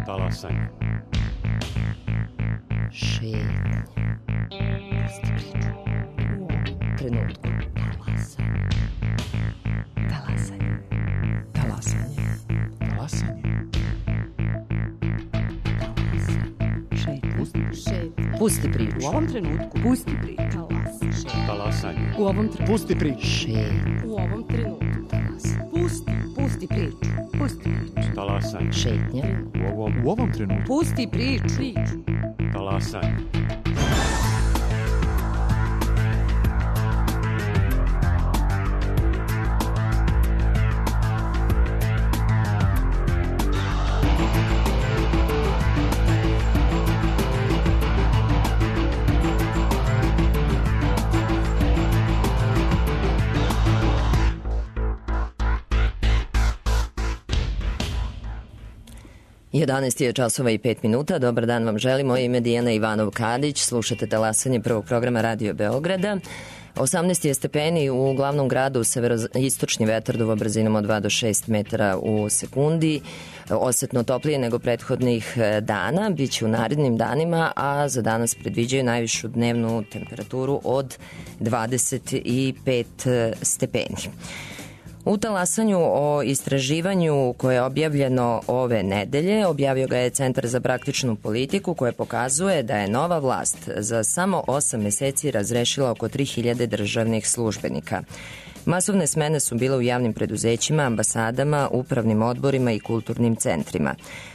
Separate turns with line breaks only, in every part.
Talasanje.
Šetnja. Pusti priču. U ovom trenutku. Talasanje. Talasanje.
Talasanje.
Šetnja. Pusti priču.
U ovom trenutku. Pusti priču.
Talasanje.
U ovom trenutku.
Pusti priču.
Šetnja.
U ovom trenutku. Pusti priču. Pusti priču.
Talasanje.
Šetnja.
U ovom trenutku.
Pusti priču.
Talasanje.
Jedanaest je časova i 5 minuta. Dobar dan vam želimo. Ime Dijana Ivanov-Kadić. Slušate Talasanje prvog programa Radio Beograda. 18 je stepeni u glavnom gradu, severoistočni vetar duva brzinom od 2 do 6 metara u sekundi. Osetno toplije nego prethodnih dana. Biće u narednim danima, a za danas predviđaju najvišu dnevnu temperaturu od 25 stepeni. U Talasanju o istraživanju koje je objavljeno ove nedelje, objavio ga je Centar za praktičnu politiku, koje pokazuje da je nova vlast za samo 8 meseci razrešila oko 3000 državnih službenika. Masovne smene su bile u javnim preduzećima, ambasadama, upravnim odborima i kulturnim centrima.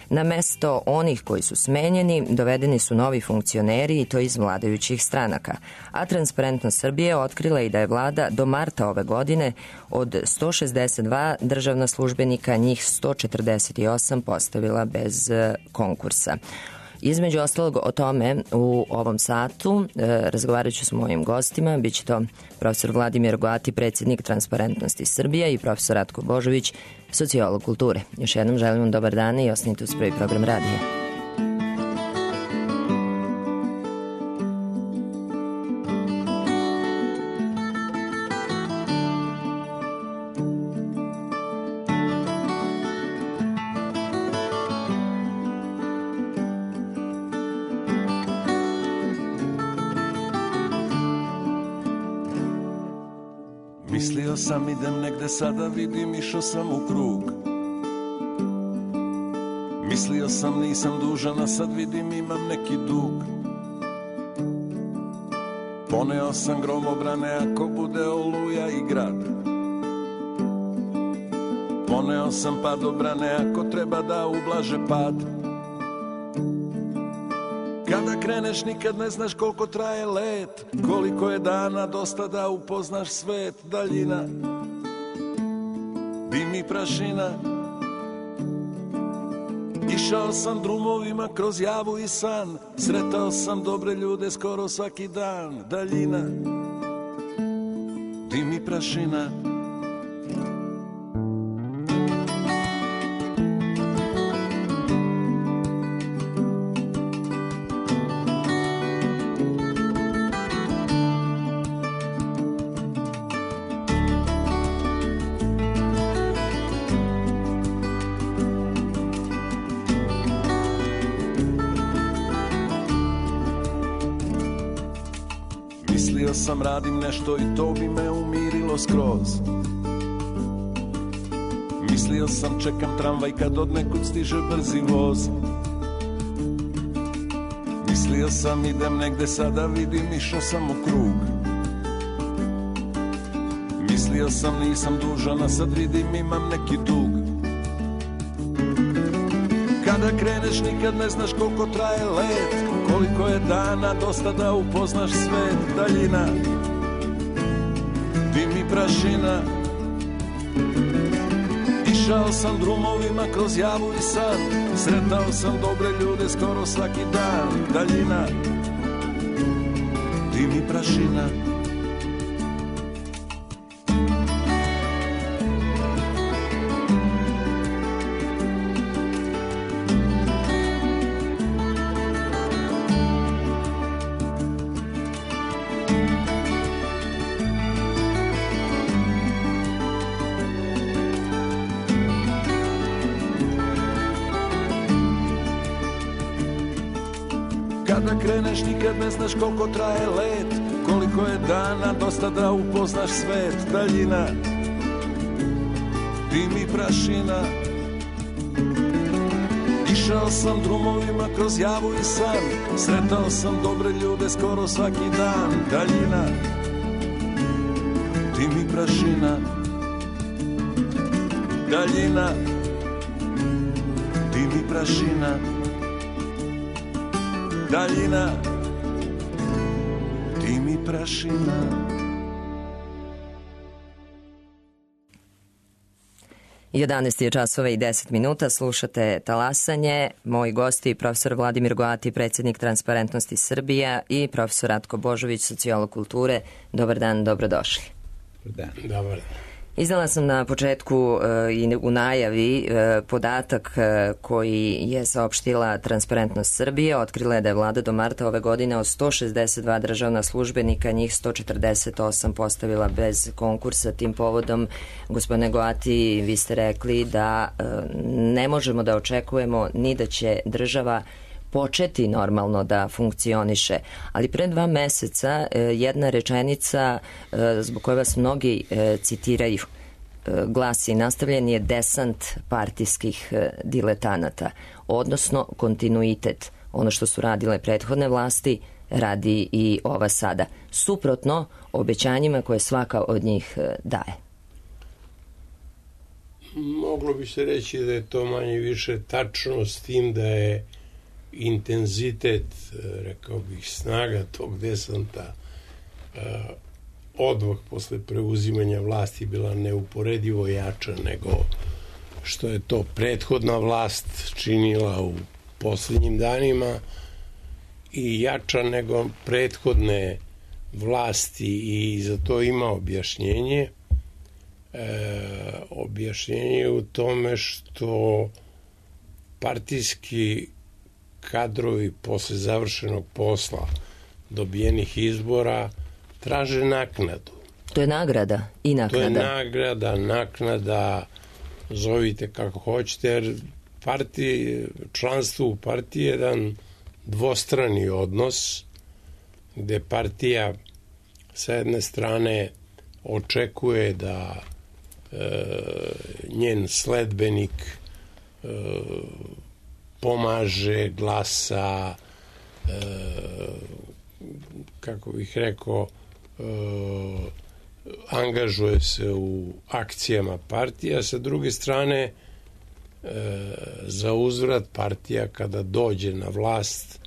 Na mesto onih koji su smenjeni dovedeni su novi funkcioneri i to iz vladajućih stranaka. A Transparentnost Srbije otkrila i da je vlada do marta ove godine od 162 državna službenika njih 148 postavila bez konkursa. Između ostalog o tome u ovom satu razgovarat ću s mojim gostima. Biće to profesor Vladimir Goati, predsjednik Transparentnosti Srbije, i profesor Ratko Božović, sociolog kulture. Još jednom želim vam dobar dan i ostanite uz prvi program radija.
Mislio sam idem negde, sada vidim išao sam u krug. Mislio sam nisam dužan, a sad vidim imam neki dug. Poneo sam gromobrane ako bude oluja i grad. Poneo sam padobrane ako treba da ublaže pad. Kada kreneš nikad ne znaš koliko traje let, koliko je dana dosta da upoznaš svet. Daljina, dim i prašina. Išao sam drumovima kroz javu i san, sretao sam dobre ljude skoro svaki dan. Daljina, dim i prašina. Mislio sam radim nešto i to bi me umirilo skroz. Mislio sam čekam tramvaj kad od nekud stiže brzi voz. Mislio sam idem negde, sada vidim išao sam u krug. Mislio sam nisam dužan, a sad vidim imam neki dug. Kada kreneš nikad ne znaš koliko traje let, koliko je dana dosta da upoznaš svet. Daljina, dim i prašina. Išao sam drumovima kroz javu i san, sretao sam dobre ljude skoro svaki dan. Daljina, dim i prašina. kreneš nikad ne znaš koliko traje let, koliko je dana dosta da upoznaš svet. Daljina, dim i prašina. Išao sam drumovima kroz javu i san, sretao sam dobre ljude skoro svaki dan. Daljina, dim i prašina. Daljina, dim i prašina. Daljina, dim i prašina.
11 je časova i 10 minuta, slušate Talasanje. Moji gosti, profesor Vladimir Goati, predsjednik Transparentnosti Srbija, i profesor Ratko Božović, sociolog kulture. Dobar dan, dobrodošli.
Dobar dan.
Dobar dan.
Izdala sam na početku i u najavi podatak koji je saopštila Transparentnost Srbije. Otkrila je da je vlada do marta ove godine od 162 državna službenika, njih 148 postavila bez konkursa. Tim povodom, gospodine Goati, vi ste rekli da ne možemo da očekujemo ni da će država početi normalno da funkcioniše, ali pre 2 meseca jedna rečenica zbog koje vas mnogi citiraju glasi: nastavljen je desant partijskih diletanata, odnosno kontinuitet. Ono što su radile prethodne vlasti radi i ova sada, suprotno obećanjima koje svaka od njih daje.
Moglo bi se reći da je to manje više tačno, s tim da je intenzitet, rekao bih, snaga tog desanta odmah posle preuzimanja vlasti bila neuporedivo jača nego što je to prethodna vlast činila u poslednjim danima i jača nego prethodne vlasti, i za to ima objašnjenje. Objašnjenje u tome što partijski kadrovi posle završenog posla, dobijenih izbora, traže naknadu.
To je nagrada i naknada.
To je nagrada, naknada, zovite kako hoćete, jer članstvo u partiji je jedan dvostrani odnos, gde partija sa jedne strane očekuje da njen sledbenik pomaže, glasa, kako bih rekao, angažuje se u akcijama partija. Sa druge strane, za uzvrat partija kada dođe na vlast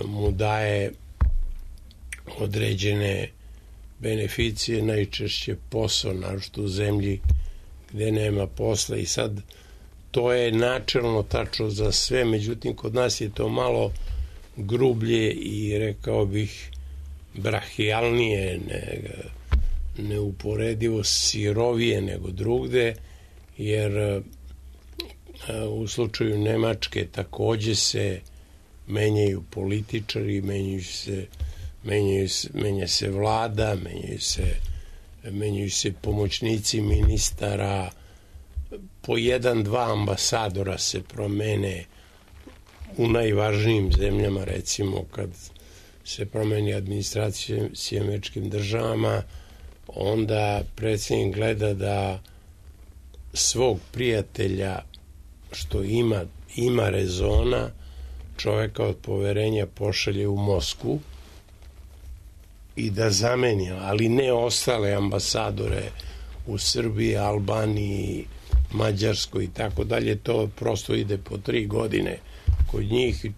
mu daje određene beneficije, najčešće posao, naročito u zemlji gde nema posla. I sad to je načelno tačno za sve, međutim kod nas je to malo grublje i, rekao bih, brahijalnije, neuporedivo sirovije nego drugde, jer u slučaju Nemačke takođe se menjaju političari, menja se vlada, menjaju se pomoćnici ministara, po 1-2 ambasadora se promene u najvažnijim zemljama. Recimo, kad se promeni administracija s Američkim državama, onda predsjednik gleda da svog prijatelja, što ima rezona, čoveka od poverenja pošalje u Moskvu i da zameni, ali ne ostale ambasadore u Srbiji, Albaniji, Mađarskoj i tako dalje. To prosto ide po 3 godine kod njih i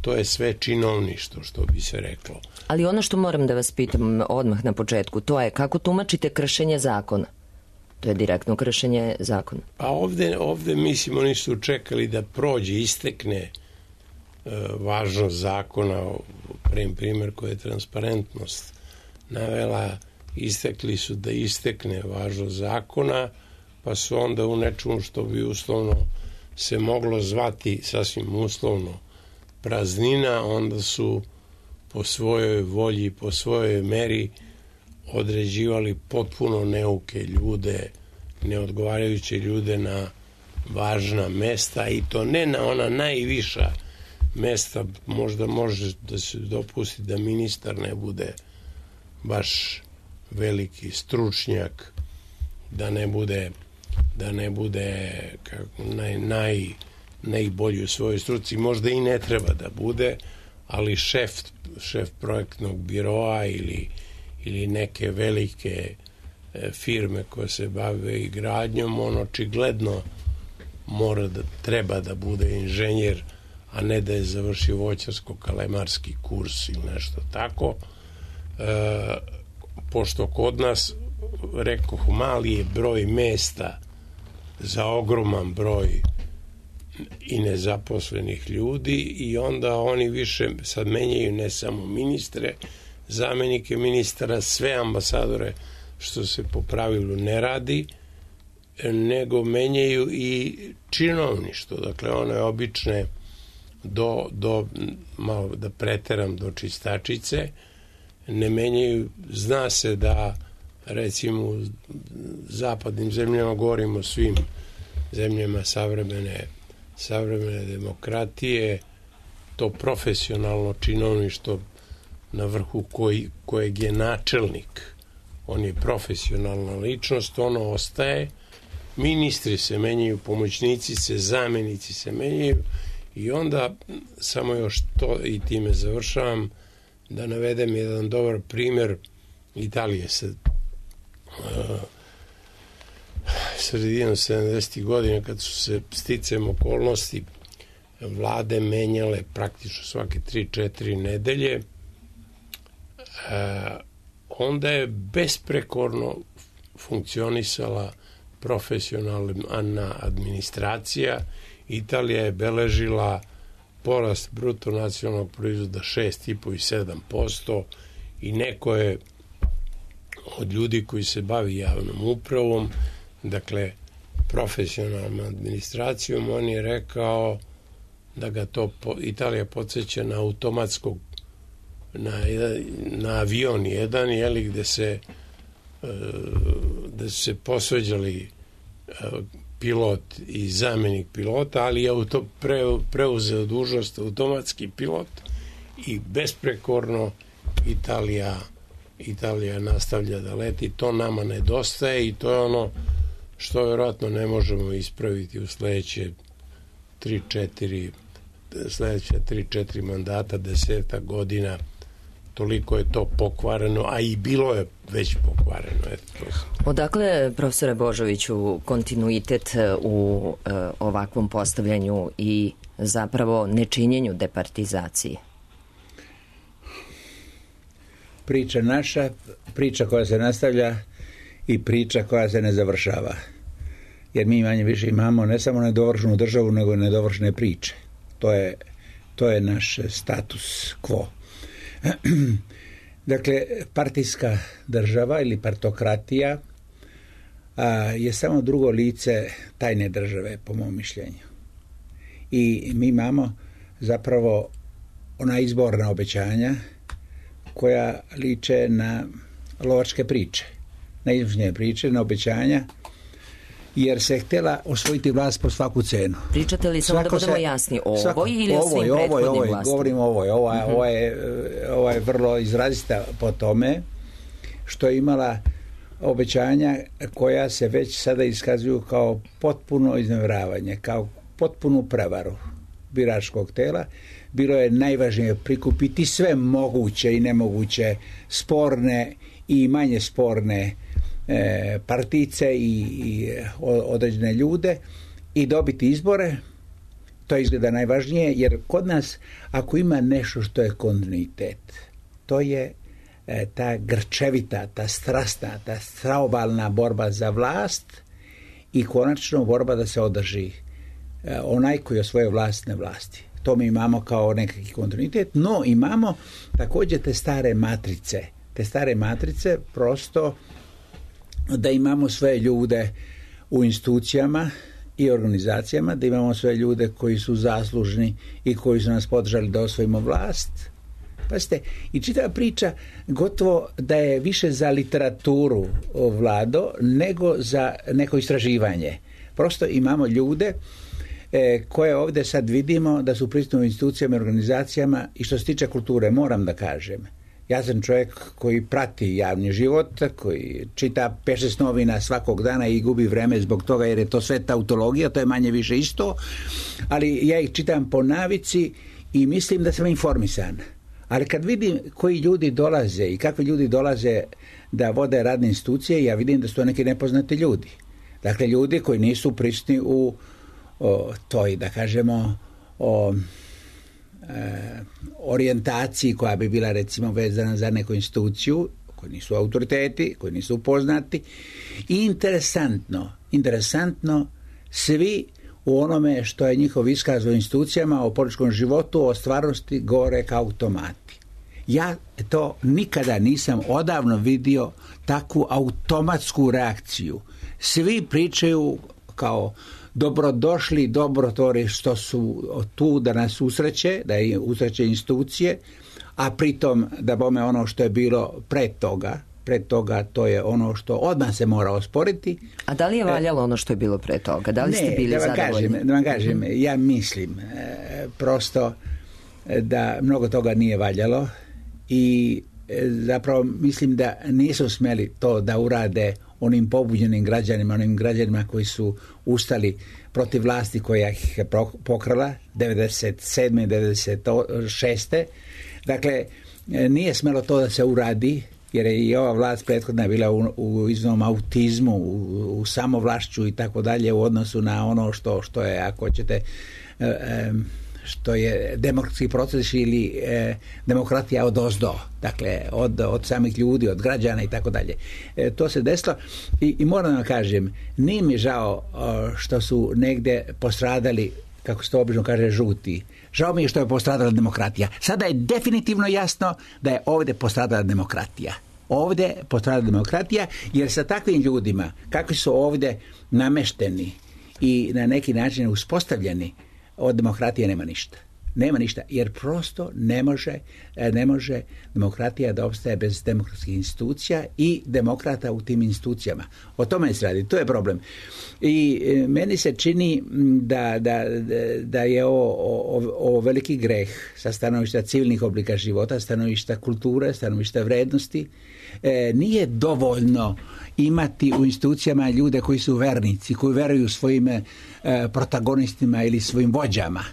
to je sve činovništvo, što bi se reklo.
Ali ono što moram da vas pitam odmah na početku, to je kako tumačite kršenje zakona? To je direktno kršenje zakona.
Pa ovde mislim, oni su čekali da prođe, istekne važnost zakona. Primer koji je Transparentnost navela, istekli su da istekne važnost zakona, pa su onda u nečemu što bi uslovno se moglo zvati, sasvim uslovno, praznina, onda su po svojoj volji, po svojoj meri određivali potpuno neuke ljude, neodgovarajuće ljude na važna mesta, i to ne na ona najviša mesta možda može da se dopusti da ministar ne bude baš veliki stručnjak, da ne bude kako, najbolji u svojoj struci, možda i ne treba da bude, ali šef projektnog biroa ili neke velike firme koje se bave i gradnjom, on očigledno treba da bude inženjer, a ne da je završio voćarsko-kalemarski kurs ili nešto tako. Pošto kod nas, rekoh, mali je broj mesta za ogroman broj i nezaposlenih ljudi, i onda oni više sad menjaju ne samo ministre, zamenike ministara, sve ambasadore, što se po pravilu ne radi, nego menjaju i činovništvo, dakle one obične do malo da preteram, do čistačice, ne menjaju. Zna se da recimo u zapadnim zemljama, govorimo o svim zemljama savremene demokratije, to profesionalno činovništvo na vrhu kojeg je načelnik, on je profesionalna ličnost, ono ostaje, ministri se menjaju, pomoćnici se, zamenici se menjaju, i onda samo još to, i time završavam, da navedem jedan dobar primjer Italije sredinom 70. godina, kad su se sticajem okolnosti vlade menjale praktično svake 3-4 nedelje, onda je besprekorno funkcionisala profesionalna administracija. Italija je beležila porast bruto nacionalnog proizvoda 6,5 i 7%, i neko je od ljudi koji se bavi javnom upravom, dakle profesionalnom administracijom, on je rekao da ga to Italija podsjeća na automatskog, na avion jedan, gde su se posveđali pilot i zamenik pilota, ali je preuzeo dužnost automatski pilot, i besprekorno Italija nastavlja da leti. To nama nedostaje i to je ono što vjerojatno ne možemo ispraviti u sledeće 3-4 mandata, 10 godina. Toliko je to pokvareno, a i bilo je već pokvareno.
Odakle, profesore Božoviću, kontinuitet u ovakvom postavljanju i zapravo nečinjenju departizacije?
Priča naša, priča koja se nastavlja i priča koja se ne završava. Jer mi manje više imamo ne samo nedovršenu državu, nego i nedovršene priče. To je naš status quo. Dakle, partijska država ili partokratija je samo drugo lice tajne države, po mom mišljenju. I mi imamo zapravo ona izborna obećanja koja liče na lovačke priče, na izvršne priče, na obećanja, jer se htjela osvojiti vlast po svaku cenu.
Pričate li samo da budemo jasni o ovoj ili o svim prethodnim vlastima?
Govorim o ovoj. Ova je vrlo izrazita po tome što je imala obećanja koja se već sada iskazuju kao potpuno iznevjeravanje, kao potpunu prevaru biračkog tela. Bilo je najvažnije prikupiti sve moguće i nemoguće sporne i manje sporne partice i određene ljude i dobiti izbore. To izgleda najvažnije, jer kod nas ako ima nešto što je kontinuitet, to je ta grčevita, ta strasna, ta straobalna borba za vlast i konačno borba da se održi onaj koji osvoje vlast na vlasti. To mi imamo kao nekakvi kontinuitet, no imamo također te stare matrice prosto da imamo sve ljude u institucijama i organizacijama, da imamo sve ljude koji su zaslužni i koji su nas podržali da osvojimo vlast. Pazite, i čitava priča gotovo da je više za literaturu, Vlado, nego za neko istraživanje. Prosto imamo ljude koje ovdje sad vidimo da su prisutne u institucijama i organizacijama. I što se tiče kulture, moram da kažem, ja sam čovjek koji prati javni život, koji čita 5-6 novina svakog dana i gubi vreme zbog toga jer je to sve tautologija, to je manje više isto, ali ja ih čitam po navici i mislim da sam informisan. Ali kad vidim koji ljudi dolaze i kakvi ljudi dolaze da vode radne institucije, ja vidim da su to neki nepoznati ljudi. Dakle, ljudi koji nisu prisutni u toj, da kažemo, orijentaciji koja bi bila recimo vezana za neku instituciju, koji nisu autoriteti, koji nisu upoznati. I interesantno, svi u onome što je njihov iskaz o institucijama, o političkom životu, o stvarnosti govore kao automati. Ja to nikada nisam odavno vidio, takvu automatsku reakciju. Svi pričaju kao dobrodošli, dobrotvori što su tu da nas usreće, da je usreće institucije, a pritom da bome ono što je bilo pred toga to je ono što odmah se mora osporiti.
A da li je valjalo ono što je bilo pre toga? Da li ste bili zadovoljni?
Da vam kažem, ja mislim prosto da mnogo toga nije valjalo i zapravo mislim da nisu smjeli to da urade onim pobuđenim građanima, onim građanima koji su ustali protiv vlasti koja ih je pokrala 97. 96. Dakle, nije smjelo to da se uradi, jer je i ova vlast prethodna bila u iznom autizmu, u samovlašću i tako dalje u odnosu na ono što je, ako hoćete, što je demokratski proces ili demokratija od ozdo, dakle od samih ljudi, od građana i tako dalje. To se desilo i moram da kažem, nije mi žao što su negdje postradali, kako se to obično kaže, žuti. Žao mi je što je postradala demokratija. Sada je definitivno jasno da je ovdje postradala demokratija. Ovdje postradala demokratija, jer sa takvim ljudima, kakvi su ovdje namešteni i na neki način uspostavljeni, od demokratije nema ništa. Nema ništa, jer prosto ne može demokratija da opstaje bez demokratskih institucija i demokrata u tim institucijama. O tome se radi, to je problem. I meni se čini da je ovo veliki greh sa stanovišta civilnih oblika života, stanovišta kulture, stanovišta vrednosti. Nije dovoljno imati u institucijama ljude koji su vernici, koji veruju svojim protagonistima ili svojim vođama.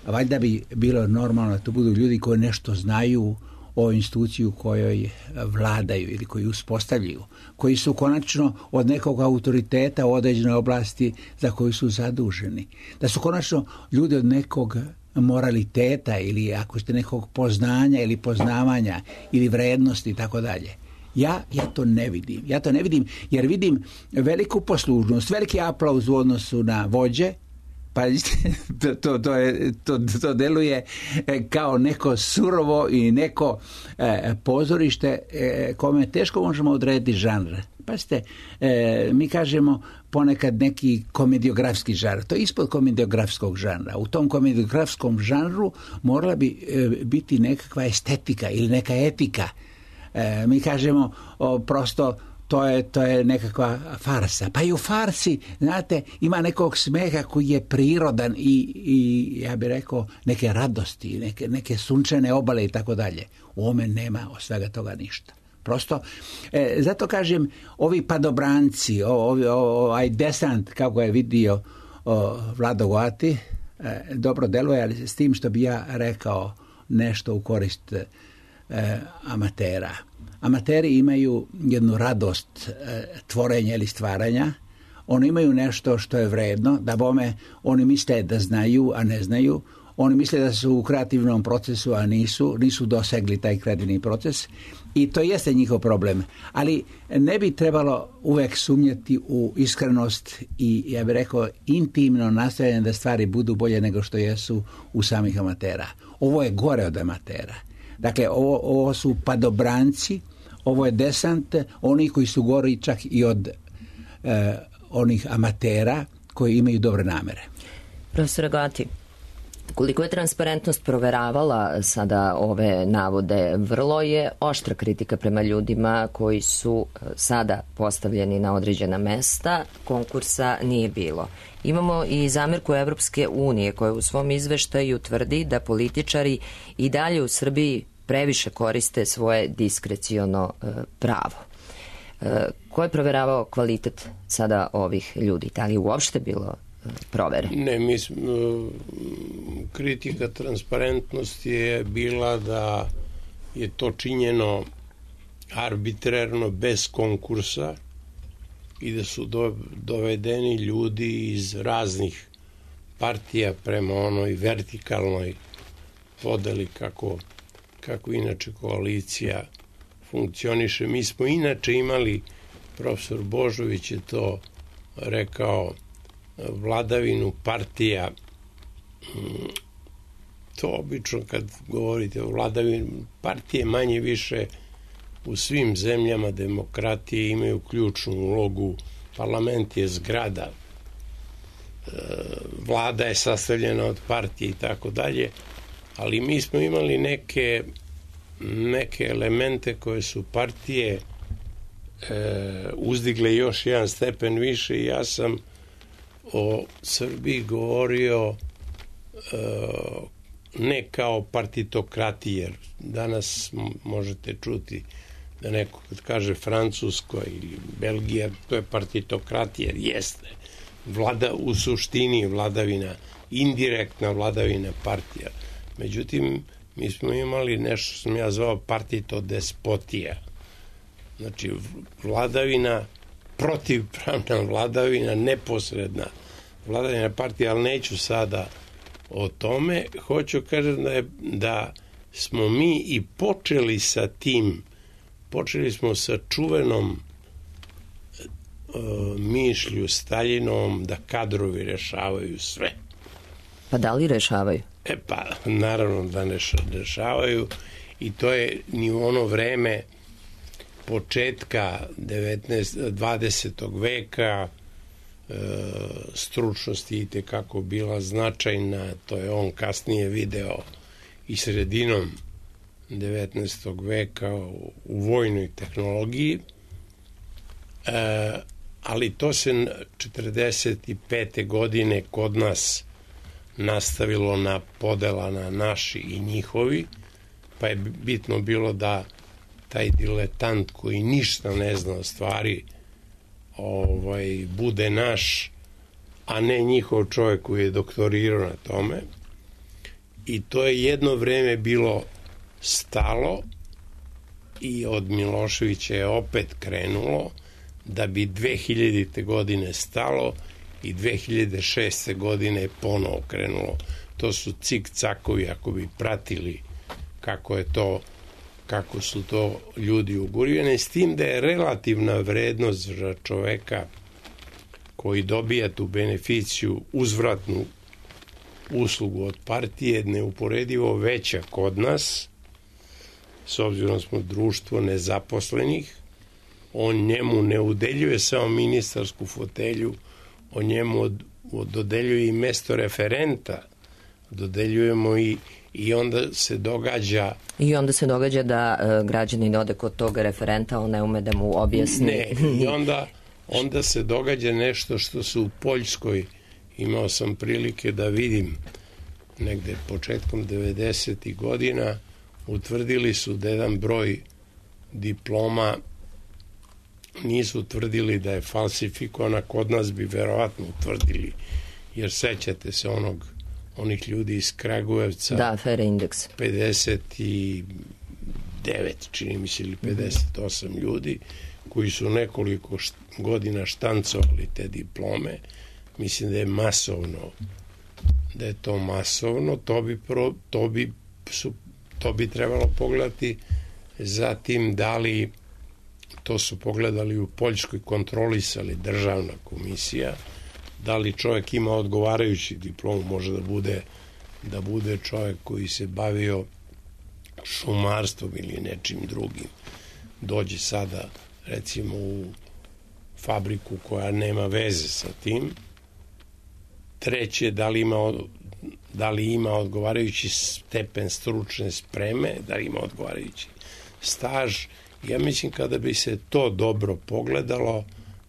Valjda bi bilo normalno da to budu ljudi koji nešto znaju o instituciju kojoj vladaju ili koji uspostavljaju, koji su konačno od nekog autoriteta u određenoj oblasti za koju su zaduženi. Da su konačno ljudi od nekog moraliteta ili ako ste nekog poznanja ili poznavanja ili vrednosti i tako dalje. Ja to ne vidim. Ja to ne vidim jer vidim veliku poslušnost, veliki aplauz u odnosu na vođe. Pa to deluje kao neko surovo i neko pozorište kome teško možemo odrediti žanr. Pazite, mi kažemo ponekad neki komediografski žanr. To je ispod komediografskog žanra. U tom komediografskom žanru morala bi biti nekakva estetika ili neka etika. Mi kažemo prosto to je nekakva farsa. Pa i u farsi, znate, ima nekog smeha koji je prirodan i ja bih rekao neke radosti, neke sunčane obale i tako dalje. U ovome nema od svega toga ništa. Prosto, zato kažem, ovi padobranci, ovaj desant, kako je vidio Vlado Goati, dobro deluje, ali s tim što bi ja rekao nešto u korist amatera. Amateri imaju jednu radost tvorenja ili stvaranja. Oni imaju nešto što je vredno, da bome oni misle da znaju, a ne znaju. Oni misle da su u kreativnom procesu, a nisu dosegli taj kreativni proces. I to jeste njihov problem. Ali ne bi trebalo uvek sumnjati u iskrenost i, ja bih rekao, intimno nastojanje da stvari budu bolje nego što jesu u samih amatera. Ovo je gore od amatera. Dakle, ovo su padobranci, ovo je desant, oni koji su gori čak i od onih amatera koji imaju dobre namere.
Profesor Goati, Koliko je transparentnost proveravala sada ove navode, vrlo je oštra kritika prema ljudima koji su sada postavljeni na određena mesta, konkursa nije bilo. Imamo i zamerku Evropske unije koja u svom izveštaju tvrdi da političari i dalje u Srbiji previše koriste svoje diskreciono pravo. Ko je proveravao kvalitet sada ovih ljudi? Da li je uopšte bilo provere?
Ne, kritika transparentnosti je bila da je to činjeno arbitrarno, bez konkursa i da su dovedeni ljudi iz raznih partija prema onoj vertikalnoj podeli kako inače koalicija funkcioniše. Mi smo inače imali, profesor Božović je to rekao, vladavinu partija. To obično kad govorite o vladavini partije, manje više u svim zemljama demokratije imaju ključnu ulogu. Parlament je zgrada, vlada je sastavljena od partije i tako dalje, ali mi smo imali neke elemente koje su partije uzdigle još jedan stepen više i ja sam o Srbiji govorio ne kao partitokrati, jer danas možete čuti da neko kad kaže Francusko ili Belgija, to je partitokratija, jer jeste. Vlada u suštini vladavina, indirektna vladavina partija. Međutim, mi smo imali nešto što sam ja zvao partitodespotija. Znači, vladavina, protivpravna vladavina, neposredna vladavina partije, ali neću sada o tome. Hoću kažem da smo mi i počeli sa tim, počeli smo sa čuvenom mišlju Staljinovom da kadrovi rešavaju sve.
Pa da li rešavaju?
Pa naravno da ne rešavaju i to je ni u ono vreme početka 20. veka stručnosti i tekako bila značajna, to je on kasnije video i sredinom 19. veka u vojnoj tehnologiji, ali to se 45. godine kod nas nastavilo na podela na naši i njihovi, pa je bitno bilo da taj diletant koji ništa ne zna o stvari bude naš, a ne njihov čovjek koji je doktorirao na tome. I to je jedno vreme bilo stalo i od Miloševića je opet krenulo, da bi 2000. godine stalo i 2006. godine ponovo krenulo. To su cik-cakovi, ako bi pratili kako su to ljudi ugurivani, s tim da je relativna vrednost za čoveka koji dobija tu beneficiju, uzvratnu uslugu od partije, neuporedivo veća kod nas, s obzirom smo društvo nezaposlenih. On njemu ne udeljuje samo ministarsku fotelju, on njemu dodeljuje i mesto referenta, dodeljujemo i onda se događa... I onda se događa
da građanin ode kod tog referenta, on ne ume da mu objasni.
Ne, i onda se događa nešto što se u Poljskoj, imao sam prilike da vidim negde početkom 90. godina, utvrdili su da jedan broj diploma nisu utvrdili da je falsifikovana, kod nas bi verovatno utvrdili, jer sećate se onih ljudi iz Kragujevca.
Da, afere Indeks.
59, čini mi se, ili 58 ljudi koji su nekoliko godina štancovali te diplome. Mislim da je masovno, da je to masovno, to bi trebalo pogledati. Zatim, da li to su pogledali u Poljskoj, kontrolisali državna komisija, da li čovjek ima odgovarajući diplom, može da bude čovjek koji se bavio šumarstvom ili nečim drugim. Dođe sada, recimo, u fabriku koja nema veze sa tim. Treće, da li ima da li ima odgovarajući stepen stručne spreme, da li ima odgovarajući staž. Ja mislim kada bi se to dobro pogledalo,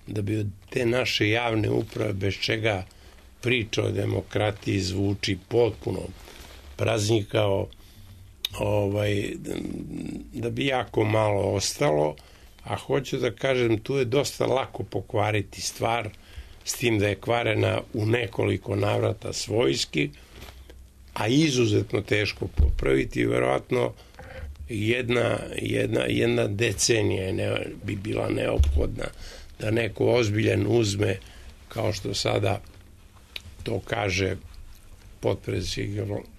da bi od te naše javne uprave, bez čega priča o demokratiji zvuči potpuno praznikao, da bi jako malo ostalo, a hoću da kažem, tu je dosta lako pokvariti stvar, s tim da je kvarena u nekoliko navrata svojski, a izuzetno teško popraviti. Verovatno jedna decenija bi bila neophodna da neko ozbiljan uzme, kao što sada to kaže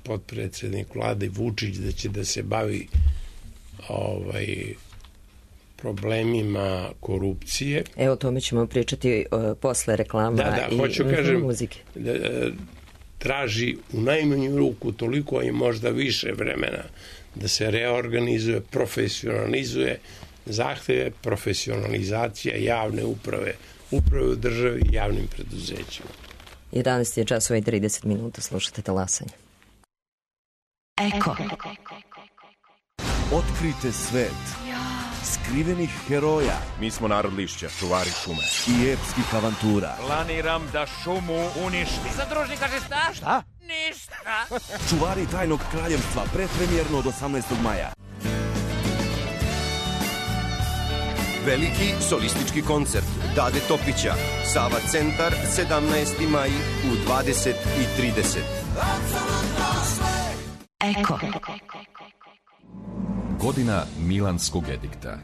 potpredsednik vlade Vučić, da će da se bavi problemima korupcije.
Evo, o tome ćemo pričati posle reklama i muzike.
Traži u najmanju ruku toliko i možda više vremena da se reorganizuje, profesionalizuje, zahteve profesionalizacija javne uprave u državi i javnim preduzećima.
11 je časova i 30 minuta, slušate Talasanje.
Eko.
Otkrite svet skrivenih heroja.
Mi smo narod lišća, čuvari šume.
I epskih avantura.
Planiram da šumu uništim.
Zadružnik kaže šta?
Šta?
Ništa.
Čuvari tajnog kraljevstva, predpremjerno od 18. maja.
Veliki solistički koncert Dade Topića, Sava centar, 17. maj u 20:30.
Eko.
Godina Milanskog edikta.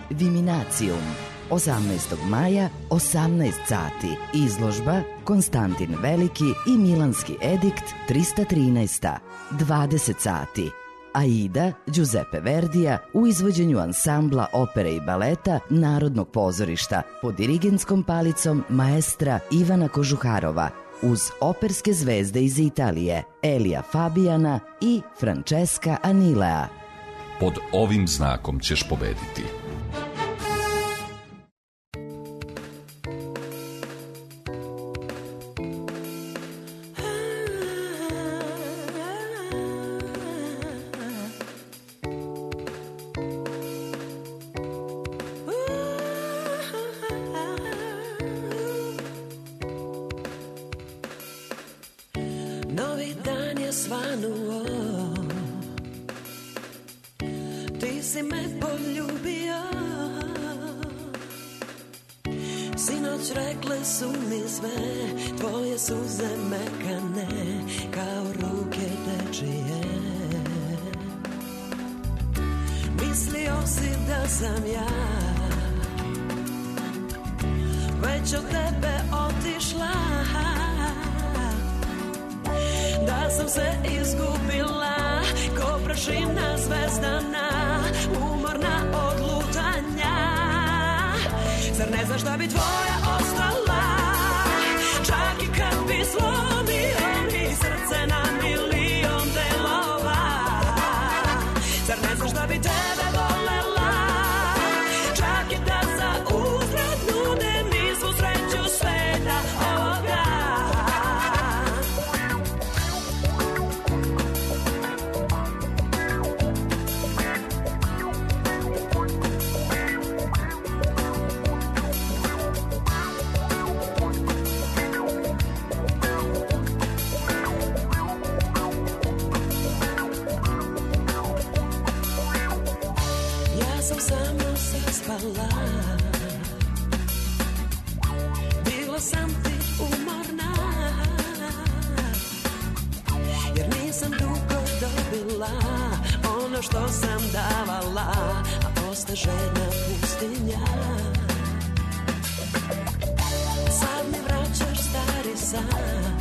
Viminacijum. 18. maja, 18 sati. Izložba Konstantin Veliki i Milanski edikt 313. 20 sati. Aida Giuseppe Verdija u izvođenju ansambla opere i baleta Narodnog pozorišta pod dirigentskom palicom maestra Ivana Kožuharova uz operske zvezde iz Italije Elija Fabiana i Francesca Anilea.
Pod ovim znakom ćeš pobediti.
Novi dan je svanuo, ti si me poljubio, sinoć rekle su mi sve, tvoje suze mekane kao ruke dečije. Mislio si da sam ja već od tebe otišla, da sam se izgubila ko prašina zvezdana, umorna od lutanja. Zar ne znaš da bi tvoja ostala, čak i kad bi slomio mi srce na milion delova. Zar ne znaš da bi tebe volela, čak i da za uzvrat nude mi svu sreću sveta ovoga. Bila sam ti umorna, jer nisam dugo dobila ono što sam davala, a osta žena pustinja. Sad mi vraćaš stari san,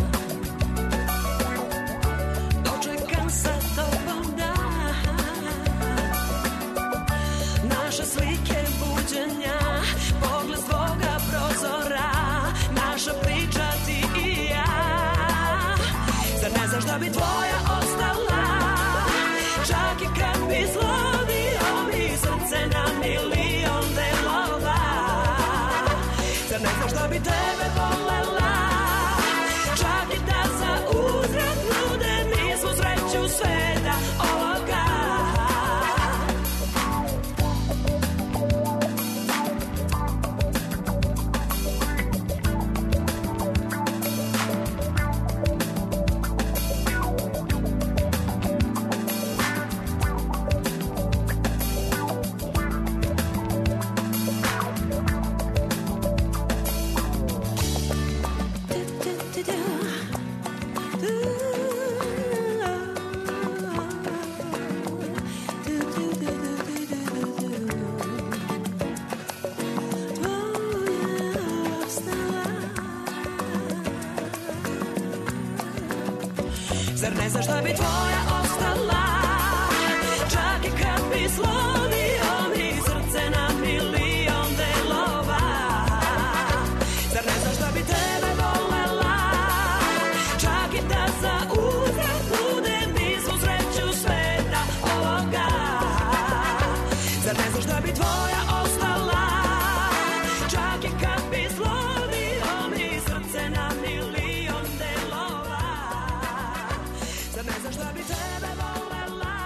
dočekam sa tobom dan, naše slike buđenja, pogled svoga prozora, naša priča ti i ja. Zar ne znaš da bi tvoja ostala, čak i kad bi slomio mi srce na milion delova. Zar ne znaš da bi tebe volela, čak i da za uzvrat nude mi Zar ne znaš da bi tvoja ostala? Čak i kad bi slomio mi srce na milion delova. Zar ne znaš da bi tebe volela? Čak i da za uzvrat budem mi svu sreću sveta ovoga. Zar ne znaš da bi tvoja ostala? Čak i kad bi slomio mi srce na milion delova. Zar ne znaš da bi tebe volela?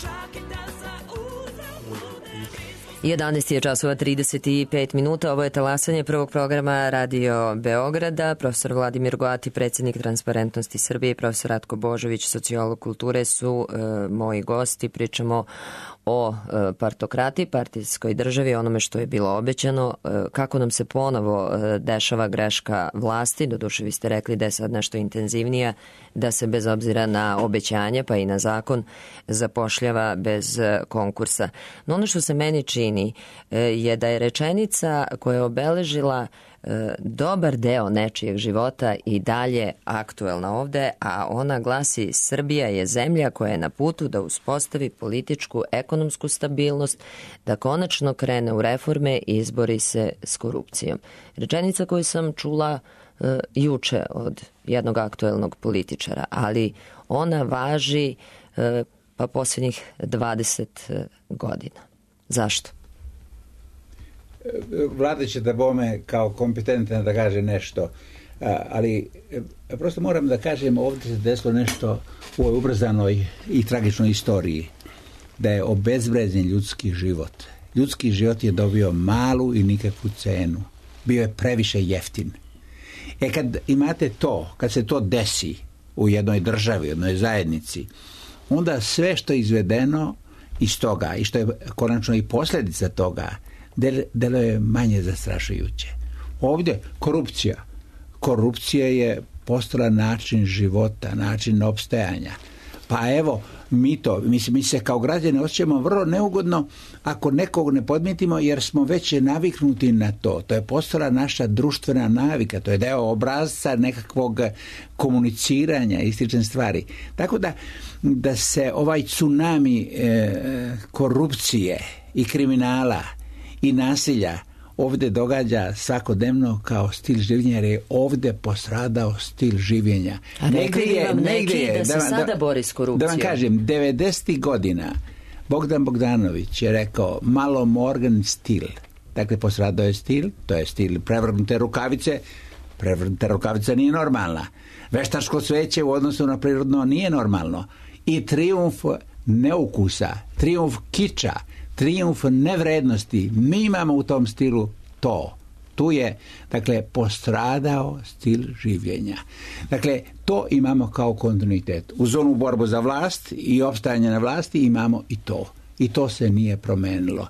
Čak i da za uzvrat budem mi svu
11 je časova 35 minuta. Ovo je talasanje prvog programa Radio Beograda. Profesor Vladimir Goati, predsjednik Transparentnosti Srbije, i profesor Ratko Božović, sociolog kulture, su moji gosti. Pričamo o partokratiji, partijskoj državi, onome što je bilo obećano, kako nam se ponovo dešava greška vlasti. Doduše, vi ste rekli da je sad nešto intenzivnija, da se bez obzira na obećanje pa i na zakon zapošljava bez konkursa. No ono što se meni čini je da je rečenica koja je obeležila dobar deo nečijeg života i dalje aktuelna ovde, a ona glasi: Srbija je zemlja koja je na putu da uspostavi političku, ekonomsku stabilnost, da konačno krene u reforme i izbori se s korupcijom. Rečenica koju sam čula juče od jednog aktuelnog političara, ali ona važi pa posljednjih 20 godina. Zašto?
Vlada će da bome kao kompetentna da kaže nešto, ali prosto moram da kažem, ovdje se desilo nešto u ovoj ubrzanoj i tragičnoj istoriji, da je obezvređen ljudski život. Ljudski život je dobio malu i nikakvu cenu. Bio je previše jeftin. Kad imate to, kad se to desi u jednoj državi, u jednoj zajednici, onda sve što je izvedeno iz toga i što je konačno i posljedica toga, delo je manje zastrašujuće. Ovdje korupcija je postala način života, način opstajanja. Pa evo, mi se kao građani osjećamo vrlo neugodno ako nekog ne podmijetimo, jer smo već naviknuti na to. To je postala naša društvena navika, to je deo obrazca nekakvog komuniciranja i slične stvari. Tako da se ovaj tsunami korupcije i kriminala i nasilja ovdje događa svakodnevno kao stil življenja, jer je ovdje postradao stil življenja.
A rekli bi vam neki da se sada bori s korupcijom?
Da vam kažem, 90. godina Bogdan Bogdanović je rekao malo Morgan stil. Dakle, postradao je stil, to je stil prevrnute rukavice. Prevrnuta rukavica nije normalna. Veštačko cveće u odnosu na prirodno nije normalno. I trijumf neukusa, trijumf kiča, trijumf nevrednosti. Mi imamo u tom stilu to. Tu je, dakle, postradao stil življenja. Dakle, to imamo kao kontinuitet. Uz onu borbu za vlast i opstajanje na vlasti imamo i to. I to se nije promenilo.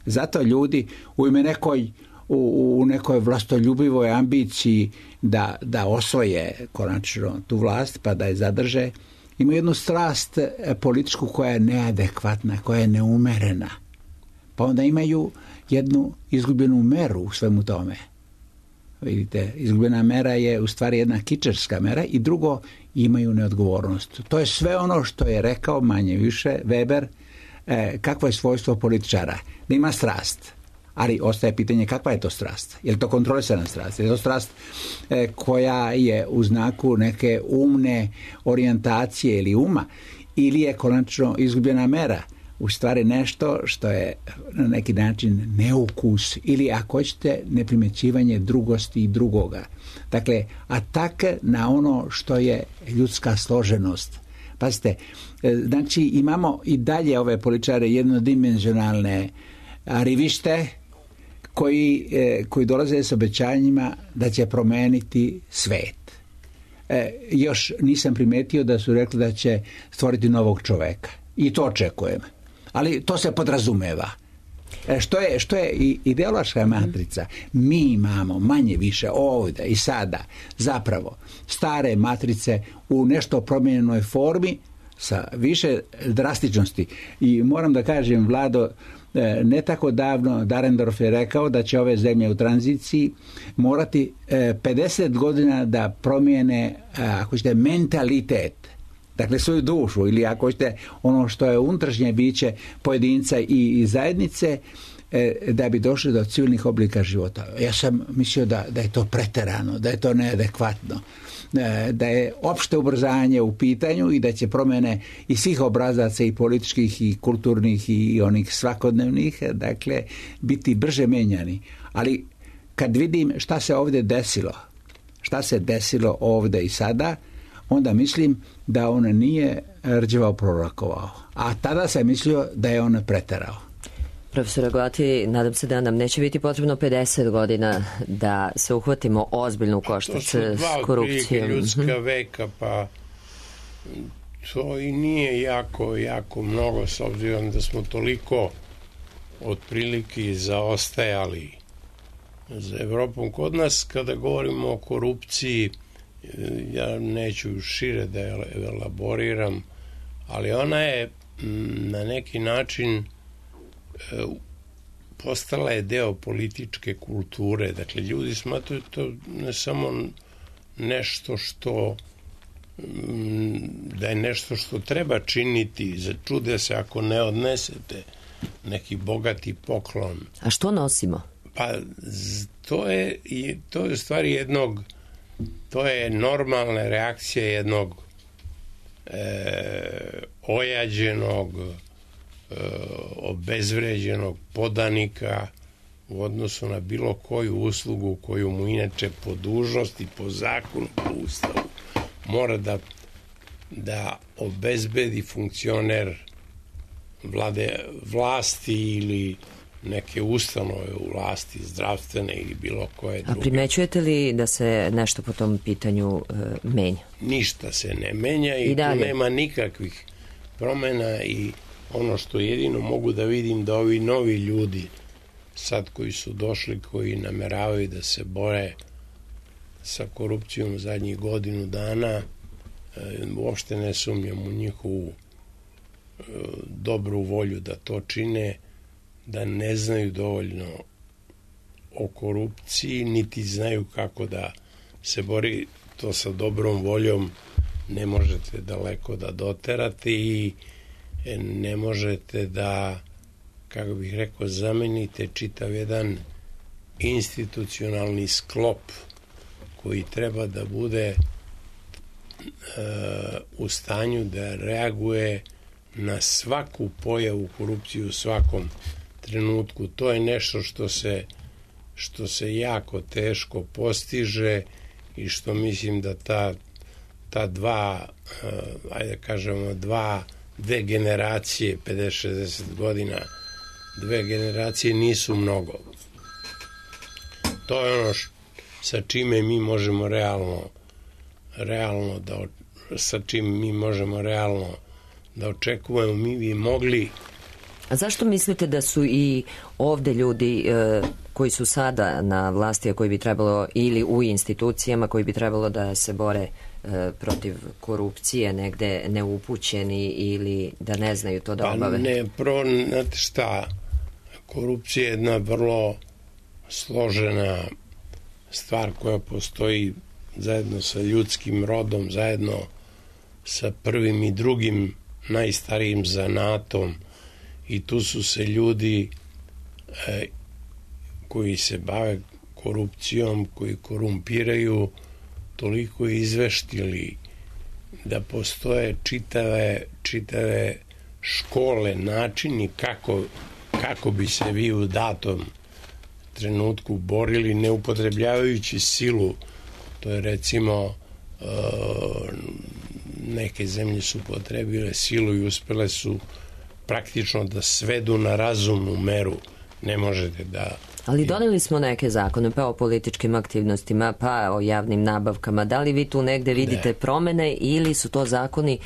Zato ljudi u nekoj vlastoljubivoj ambiciji da osvoje konačno tu vlast pa da je zadrže, imaju jednu strast političku koja je neadekvatna, koja je neumerena. Pa onda imaju jednu izgubljenu meru u svemu tome. Vidite, izgubljena mera je u stvari jedna kičarska mera, i drugo, imaju neodgovornost. To je sve ono što je rekao manje više Weber, kakvo je svojstvo političara. Da ima strast. Ali ostaje pitanje kakva je to strast. Je li to kontrolisana strast? Je li to strast koja je u znaku neke umne orijentacije ili uma? Ili je konačno izgubljena mera? U stvari nešto što je na neki način neukus ili, ako hoćete, neprimjećivanje drugosti i drugoga. Dakle, atak na ono što je ljudska složenost. Pazite, znači imamo i dalje ove političare jednodimenzionalne rivište koji dolaze s obećanjima da će promeniti svet. Još nisam primetio da su rekli da će stvoriti novog čoveka. I to očekujem. Ali to se podrazumeva. Što je ideološka matrica? Mi imamo manje više ovdje i sada zapravo stare matrice u nešto promijenjenoj formi sa više drastičnosti. I moram da kažem, Vlado, ne tako davno Dahrendorf je rekao da će ove zemlje u tranziciji morati 50 godina da promijene, ako ćete, mentalitet, dakle svoju dušu, ili ako ćete ono što je unutrašnje biće pojedinca i zajednice, da bi došli do civilnih oblika života. Ja sam mislio da je to preterano, da je to neadekvatno, da je opšte ubrzanje u pitanju i da će promjene i svih obrazaca, i političkih i kulturnih i onih svakodnevnih, dakle, biti brže menjani. Ali kad vidim šta se ovdje desilo, šta se desilo ovdje i sada, onda mislim da on nije rđevao prorokovao. A tada sam mislio da je on preterao.
Profesor Agoti, nadam se da nam neće biti potrebno 50 godina da se uhvatimo ozbiljno u koštac s korupcijom.
To su 2 ljudska veka, pa to i nije jako mnogo, s obzirom da smo toliko otprilike zaostajali za Evropom. Kod nas, kada govorimo o korupciji, ja neću šire da je elaboriram, ali ona je na neki način postala je deo političke kulture. Dakle, ljudi smatruju to ne samo nešto što da je nešto što treba činiti, začude se ako ne odnesete neki bogati poklon.
A što nosimo?
Pa to je u stvari to je normalna reakcija jednog ojađenog, obezvređenog podanika u odnosu na bilo koju uslugu koju mu inače po dužnosti, po zakonu, po ustavu mora da obezbedi funkcioner vlasti ili neke ustanove u vlasti, zdravstvene ili bilo koje druge.
A primećujete li da se nešto po tom pitanju menja?
Ništa se ne menja i tu nema nikakvih promjena, i ono što jedino mogu da vidim da ovi novi ljudi sad koji su došli, koji nameravaju da se bore sa korupcijom zadnjih godinu dana, uopšte ne sumnjam u njihovu dobru volju da to čine, da ne znaju dovoljno o korupciji, niti znaju kako da se bori. To sa dobrom voljom ne možete daleko da doterate i ne možete da, kako bih rekao, zamenite čitav jedan institucionalni sklop koji treba da bude u stanju da reaguje na svaku pojavu korupcije u svakom trenutku. To je nešto što se jako teško postiže i što mislim da ta dve generacije, 50-60 godina, dve generacije nisu mnogo. To je ono sa čime mi možemo realno da očekujemo. Mi bi mogli.
A zašto mislite da su i ovde ljudi koji su sada na vlasti, a koji bi trebalo, ili u institucijama koji bi trebalo da se bore protiv korupcije, negde neupućeni ili da ne znaju to da obave?
Znate šta, korupcija je jedna vrlo složena stvar koja postoji zajedno sa ljudskim rodom, zajedno sa prvim i drugim najstarijim zanatom, i tu su se ljudi koji se bave korupcijom, koji korumpiraju, toliko izveštili da postoje čitave škole, načini kako bi se vi u datom trenutku borili, ne upotrebljavajući silu. To je, recimo, neke zemlje su upotrebile silu i uspele su praktično da svedu na razumnu meru. Ne možete da...
Ali doneli smo neke zakone, pa o političkim aktivnostima, pa o javnim nabavkama. Da li vi tu negde vidite promene, ili su to zakoni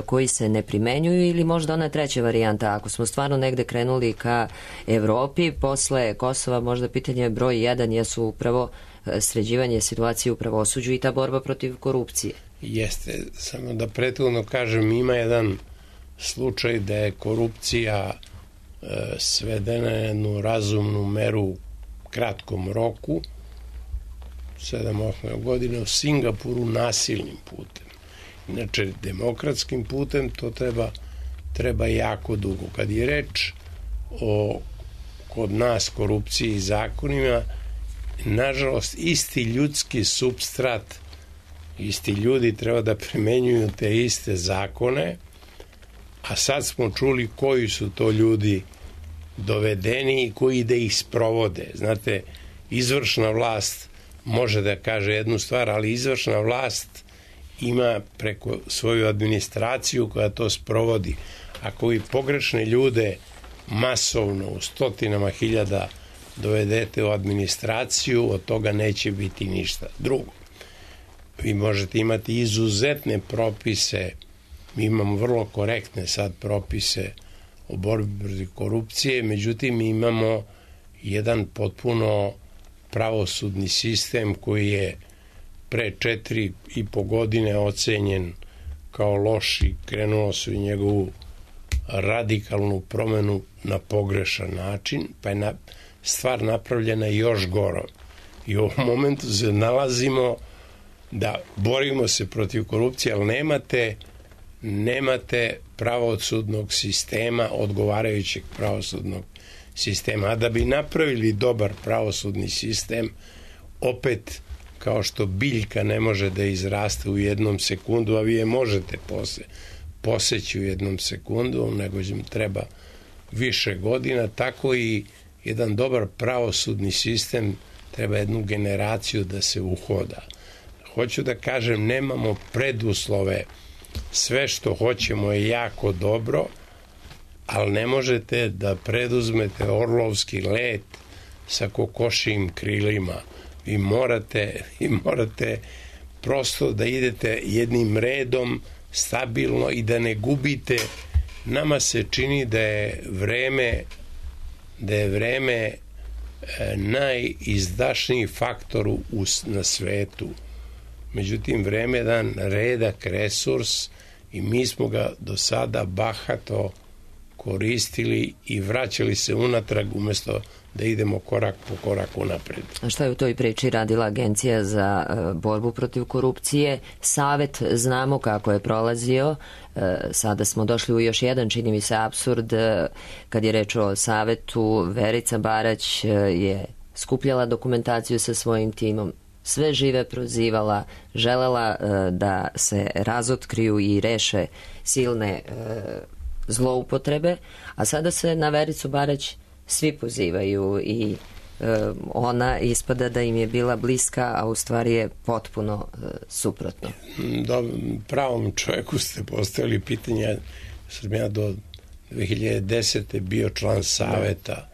koji se ne primenjuju, ili možda ona treća varijanta, ako smo stvarno negde krenuli ka Evropi, posle Kosova možda pitanje broj 1 jesu upravo sređivanje situacije u pravosuđu i ta borba protiv korupcije.
Jeste, samo da prethodno kažem, ima jedan slučaj da je korupcija svedena na jednu razumnu meru u kratkom roku, 7-8 godina, u Singapuru nasilnim putem. Inače, demokratskim putem to treba jako dugo. Kad je reč o kod nas korupciji i zakonima, nažalost, isti ljudski supstrat, isti ljudi treba da primenjuju te iste zakone, a sad smo čuli koji su to ljudi dovedeni i koji da ih sprovode. Znate, izvršna vlast može da kaže jednu stvar, ali izvršna vlast ima preko svoju administraciju koja to sprovodi. Ako vi pogrešne ljude masovno u stotinama hiljada dovedete u administraciju, od toga neće biti ništa. Drugo, vi možete imati izuzetne propise, mi imamo vrlo korektne sad propise o borbi protiv korupcije, međutim mi imamo jedan potpuno pravosudni sistem koji je pre 4,5 godine ocenjen kao loš i krenulo se u njegovu radikalnu promenu na pogrešan način, pa je stvar napravljena još goro. I u ovom momentu se nalazimo da borimo se protiv korupcije, ali nemate pravosudnog sistema, odgovarajućeg pravosudnog sistema. A da bi napravili dobar pravosudni sistem, opet, kao što biljka ne može da izraste u jednom sekundu, a vi je možete poseći u jednom sekundu, nego im treba više godina, tako i jedan dobar pravosudni sistem treba jednu generaciju da se uhoda. Hoću da kažem, nemamo preduslove, sve što hoćemo je jako dobro, ali ne možete da preduzmete orlovski let sa kokošijim krilima. Vi morate prosto da idete jednim redom, stabilno i da ne gubite. Nama se čini da je vreme najizdašniji faktor na svetu. Međutim, vreme je jedan redak resurs i mi smo ga do sada bahato koristili i vraćali se unatrag umjesto da idemo korak po koraku napred.
A šta je u toj priči radila Agencija za borbu protiv korupcije? Savet, znamo kako je prolazio. Sada smo došli u još jedan, čini mi se, apsurd. Kad je reč o savetu, Verica Barać je skupljala dokumentaciju sa svojim timom, sve žive prozivala, želela da se razotkriju i reše silne zloupotrebe, a sada se na Vericu Barać svi pozivaju i ona ispada da im je bila bliska, a u stvari je potpuno suprotno.
Pravom čovjeku ste postavili pitanje. Sam ja do 2010. bio član saveta.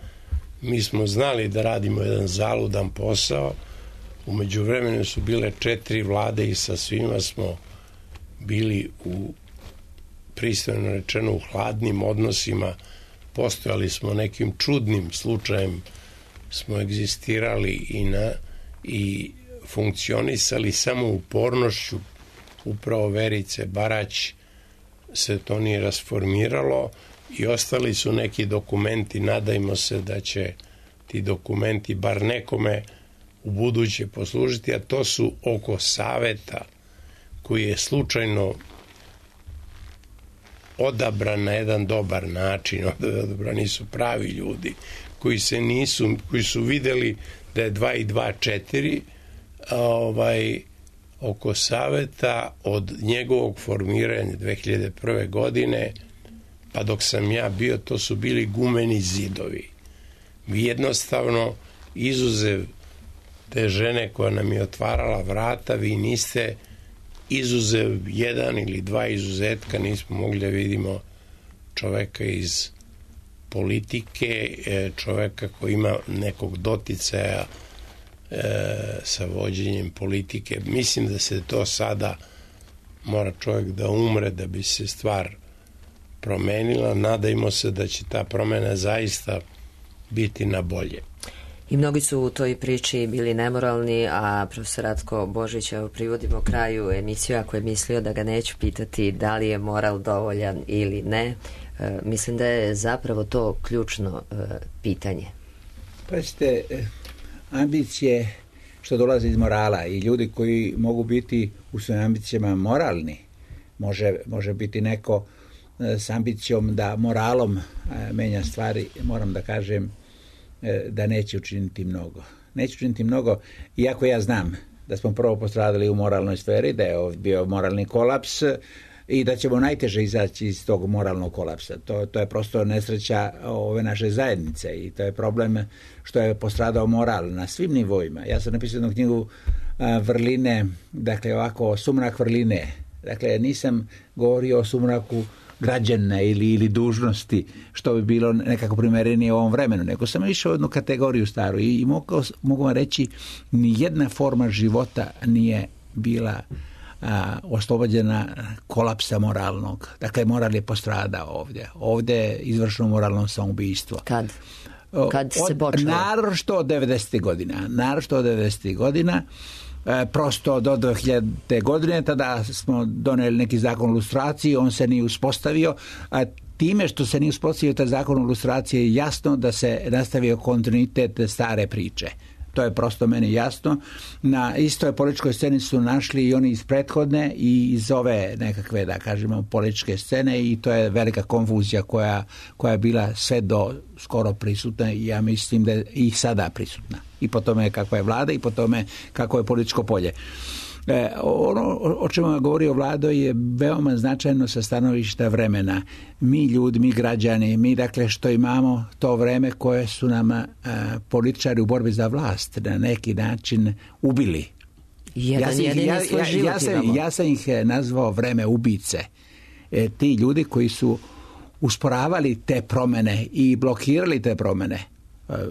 Mi smo znali da radimo jedan zaludan posao. U međuvremenu su bile 4 vlade i sa svima smo bili u, pristojno rečeno, u hladnim odnosima. Postojali smo nekim čudnim slučajem, smo egzistirali i funkcionisali samo upornošću upravo Verice Barać se to nije rasformiralo i ostali su neki dokumenti. Nadajmo se da će ti dokumenti bar nekome u buduće poslužiti, a to su oko saveta koji je slučajno odabran na jedan dobar način. Odabrani su pravi ljudi koji su videli da je 2 i 2 4. Oko saveta od njegovog formiranja 2001. godine pa dok sam ja bio, to su bili gumeni zidovi. Vi jednostavno, izuzev te žene koja nam je otvarala vrata, vi niste, izuzev 1 ili 2 izuzetka, nismo mogli da vidimo čoveka iz politike, čoveka koji ima nekog doticaja sa vođenjem politike. Mislim da se to sada mora čovjek da umre da bi se stvar promenila. Nadajmo se da će ta promena zaista biti na bolje.
I mnogi su u toj priči bili nemoralni, a profesor Ratko Božić, evo privodimo kraju emisiju, ako je mislio da ga neću pitati da li je moral dovoljan ili ne. Mislim da je zapravo to ključno pitanje.
Pazite, ambicije što dolaze iz morala i ljudi koji mogu biti u svojim ambicijama moralni, može biti neko s ambicijom da moralom menja stvari, moram da kažem da neće učiniti mnogo. Neće učiniti mnogo, iako ja znam da smo prvo postradali u moralnoj sferi, da je bio moralni kolaps i da ćemo najteže izaći iz tog moralnog kolapsa. To je prosto nesreća ove naše zajednice i to je problem što je postradao moral na svim nivoima. Ja sam napisao jednu knjigu Vrline, dakle ovako, sumrak vrline. Dakle, nisam govorio o sumraku građana ili dužnosti, što bi bilo nekako primerenije u ovom vremenu, nego sam išao u jednu kategoriju staru i mogu vam reći, ni jedna forma života nije bila oslobođena kolapsa moralnog. Dakle, moral je postradao ovdje. Ovdje je izvršeno moralno samoubistvo.
Kad se počelo?
Naročito od 90. godina, prosto do 2000. godine, tada smo donijeli neki zakon o lustraciji, on se nije uspostavio, a time što se nije uspostavio taj zakon o lustraciji je jasno da se nastavio kontinuitet stare priče. To je prosto meni jasno. Na istoj političkoj sceni su našli i oni iz prethodne i iz ove nekakve, da kažemo, političke scene i to je velika konfuzija koja je bila sve do skoro prisutna i ja mislim da je i sada prisutna. I po tome kakva je vlada i po tome kako je političko polje. Ono o čemu govori o Vlado je veoma značajno sa stanovišta vremena. Mi ljudi, mi građani, mi dakle što imamo to vreme koje su nam političari u borbi za vlast na neki način ubili. Ja sam ih nazvao vreme ubice. Ti ljudi koji su usporavali te promjene i blokirali te promjene,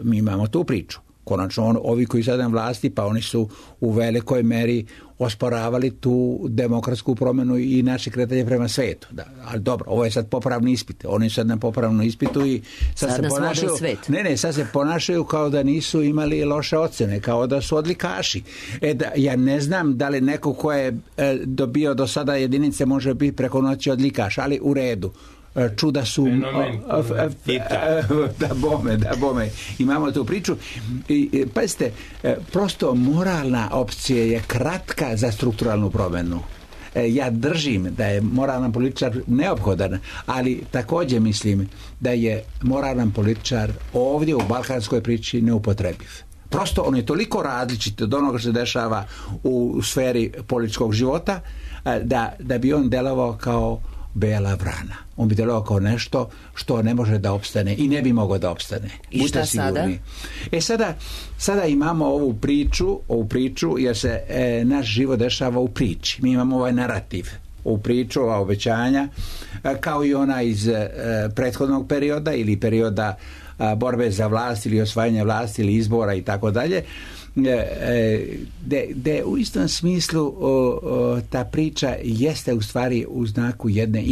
mi imamo tu priču. Konačno, ovi koji sada na vlasti, pa oni su u velikoj meri osporavali tu demokratsku promjenu i naše kretanje prema svetu. Da, ali dobro, ovo je sad popravni ispit. Oni sad na popravnom ispitu i sad se ponašaju, sad se ponašaju kao da nisu imali loše ocene, kao da su odlikaši. Ja ne znam da li neko ko je dobio do sada jedinice može biti preko noći odlikaš, ali u redu. Čuda su da bome imamo tu priču i pazite, prosto moralna opcija je kratka za strukturalnu promjenu. Ja držim da je moralan političar neophodan, ali također mislim da je moralan političar ovdje u balkanskoj priči neupotrebiv. Prosto on je toliko različit od onoga što se dešava u sferi političkog života da bi on delovao kao bela vrana. On bi delovao kao nešto što ne može da opstane i ne bi mogao da opstane.
I šta sada?
Sada imamo ovu priču jer se naš život dešava u priči. Mi imamo ovaj narativ, ovu priču, ova obećanja, kao i ona iz prethodnog perioda ili perioda borbe za vlast ili osvajanja vlasti ili izbora i tako dalje, gde u istom smislu ta priča jeste u stvari u znaku jedne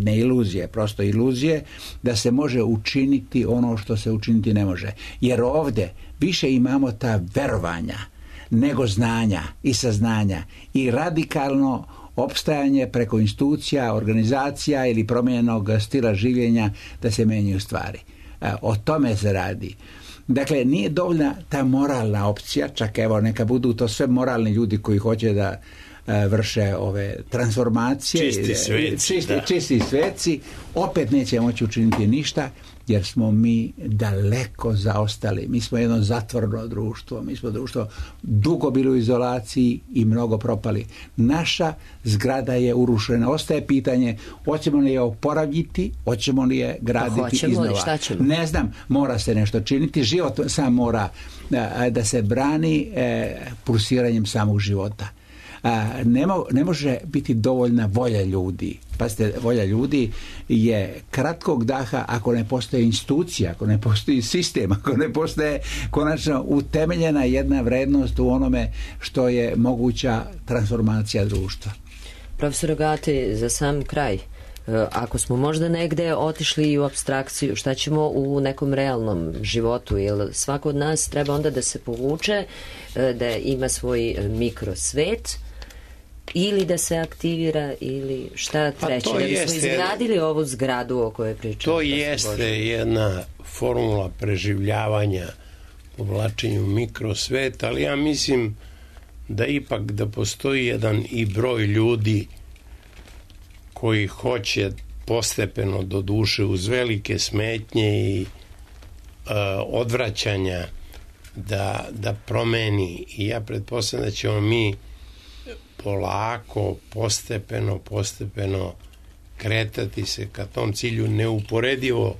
iluzije, prosto iluzije da se može učiniti ono što se učiniti ne može. Jer ovdje više imamo ta verovanja nego znanja i saznanja i radikalno opstajanje preko institucija, organizacija ili promijenjenog stila življenja da se menjaju stvari. O tome se radi. Dakle, nije dovoljna ta moralna opcija, čak evo neka budu to sve moralni ljudi koji hoće da vrše ove transformacije, čisti sveci, opet neće moći učiniti ništa jer smo mi daleko zaostali. Mi smo jedno zatvoreno društvo, mi smo društvo dugo bili u izolaciji i mnogo propali. Naša zgrada je urušena. Ostaje pitanje, hoćemo li je oporaviti, hoćemo li je graditi iznova. Ne znam, mora se nešto činiti. Život sam mora da se brani pulsiranjem samog života. Ne može biti dovoljna volja ljudi. Pazite, volja ljudi je kratkog daha ako ne postoji institucija, ako ne postoji sistem, ako ne postoje konačno utemeljena jedna vrednost u onome što je moguća transformacija društva.
Profesor Rogati, za sam kraj, ako smo možda negde otišli u apstrakciju, šta ćemo u nekom realnom životu? Jer svako od nas treba onda da se povuče, da ima svoj mikrosvet ili da se aktivira ili šta treće, da bismo izgradili ovu zgradu o kojoj pričamo.
To jeste jedna formula preživljavanja, povlačenju mikrosveta, ali ja mislim da ipak da postoji jedan i broj ljudi koji hoće postepeno, do duše, uz velike smetnje i odvraćanja da promeni. I ja pretpostavljam da ćemo mi polako, postepeno kretati se ka tom cilju, neuporedivo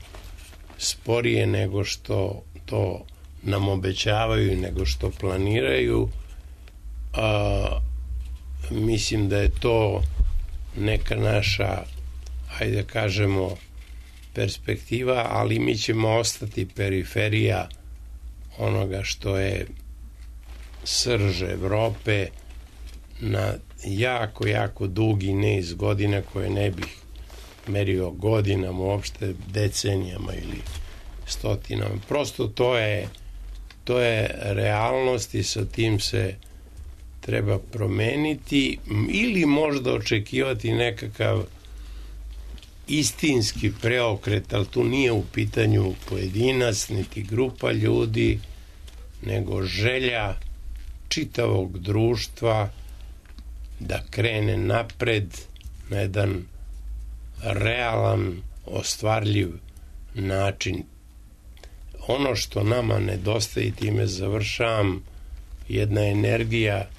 sporije nego što to nam obećavaju, nego što planiraju. Mislim da je to neka naša, hajde kažemo, perspektiva, ali mi ćemo ostati periferija onoga što je srž Evrope na jako dugi niz godina, koje ne bih merio godinama, uopšte decenijama ili stotinama. Prosto to je realnost i sa tim se treba promeniti ili možda očekivati nekakav istinski preokret, ali tu nije u pitanju pojedinac niti grupa ljudi, nego želja čitavog društva da krene napred na jedan realan, ostvarljiv način. Ono što nama nedostaje, time završavam, jedna energija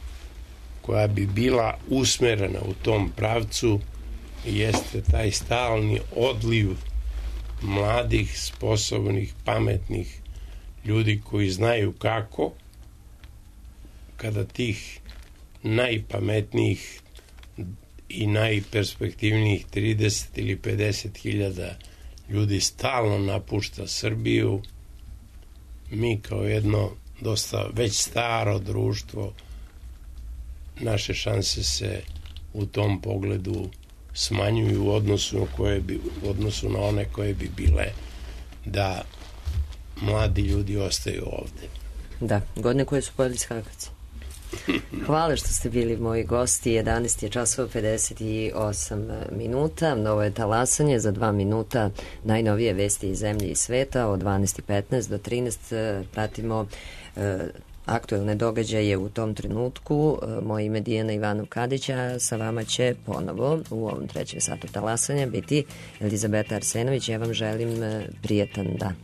koja bi bila usmerena u tom pravcu, jeste taj stalni odliv mladih, sposobnih, pametnih ljudi koji znaju kako, kada tih najpametnijih i najperspektivnijih 30 ili 50 hiljada ljudi stalno napušta Srbiju, mi kao jedno dosta već staro društvo, naše šanse se u tom pogledu smanjuju u odnosu na one koje bi bile da mladi ljudi ostaju ovde.
Da, godine koje su pojeli skakaci. Hvala što ste bili moji gosti. 11 je časova 58 minuta. Novo je talasanje, za 2 minuta najnovije vesti iz zemlje i sveta. Od 12:15 do 13 pratimo aktuelne događaje u tom trenutku. Moje ime Dijana Ivanov Kadića, sa vama će ponovo u ovom 3. satu talasanja biti Elizabeta Arsenović. Ja vam želim prijetan dan.